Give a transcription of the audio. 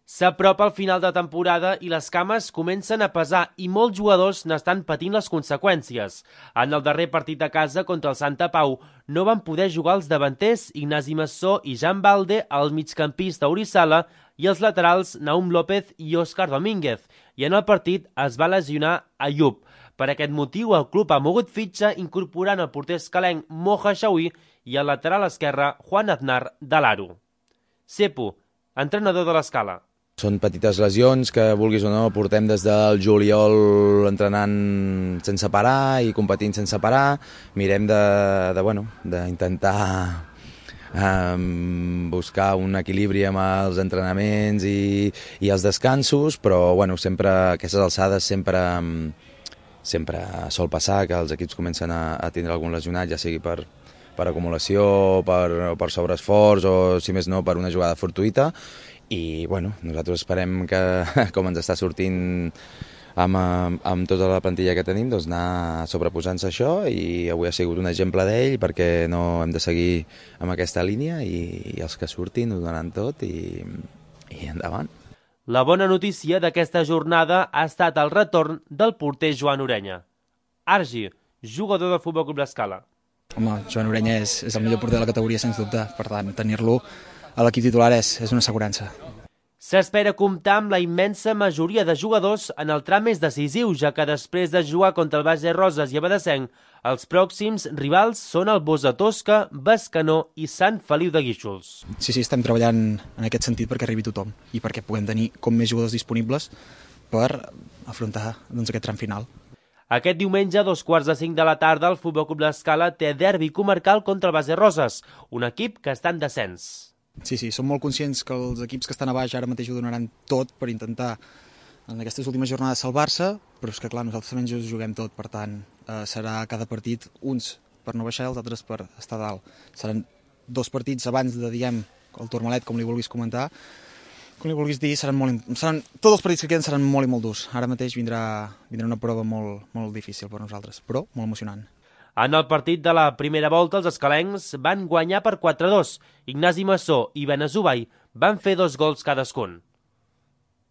S'apropa el final de temporada i les cames comencen a pesar i molts jugadors n'estan patint les conseqüències. En el darrer partit a casa contra el Santa Pau no van poder jugar els davanters Ignasi Massó i Jan Balde, el migcampista Orizala i els laterals Naum López i Òscar Domínguez, i en el partit es va lesionar Ayub. Per aquest motiu el club ha mogut fitxa incorporant el porter escalenc Moja Xaui i el lateral esquerre Juan Aznar de l'Aro. Cepo, entrenador de l'Escala. Són petites lesions que, vulguis o no, portem des del juliol entrenant sense parar i competint sense parar. Mirem d'intentar buscar un equilibri amb els entrenaments i els descansos, però sempre a aquestes alçades sempre sol passar que els equips comencen a tindre algun lesionat, ja sigui per acumulació, per sobreesforç o, si més no, per una jugada fortuïta. I nosaltres esperem que, com ens està sortint amb tota la plantilla que tenim, doncs anar sobreposant-se això, i avui ha sigut un exemple d'ell perquè no hem de seguir amb aquesta línia i els que surtin ho donaran tot i endavant. La bona notícia d'aquesta jornada ha estat el retorn del porter Joan Orenya. Argi, jugador del Futbol Club l'Escala. Home, Joan Orenya és el millor porter de la categoria, sens dubte. Per tant, tenir-lo a l'equip titular és una assegurança. S'espera comptar amb la immensa majoria de jugadors en el tram més decisiu, ja que després de jugar contra el Base Roses i Abadessenc, els pròxims rivals són el Bosa Tosca, Bescanó i Sant Feliu de Guíxols. Sí, estem treballant en aquest sentit perquè arribi tothom i perquè puguem tenir com més jugadors disponibles per afrontar aquest tram final. Aquest diumenge, a 4:45 de la tarda, el Futbol Club l'Escala té derbi comarcal contra el Base Roses, un equip que està en descens. Sí, som molt conscients que els equips que estan a baix ara mateix ho donaran tot per intentar en aquestes últimes jornades salvar-se, però és que clar, nosaltres també ens juguem tot, per tant serà cada partit uns per no baixar i els altres per estar dalt. Seran 2 partits abans de, el Tourmalet, com li vulguis comentar, com li vulguis dir, tots els partits que queden seran molt i molt durs. Ara mateix vindrà una prova molt difícil per nosaltres, però molt emocionant. En el partit de la primera volta, els escalencs van guanyar per 4-2. Ignasi Massó i Benazubai van fer 2 gols cadascun.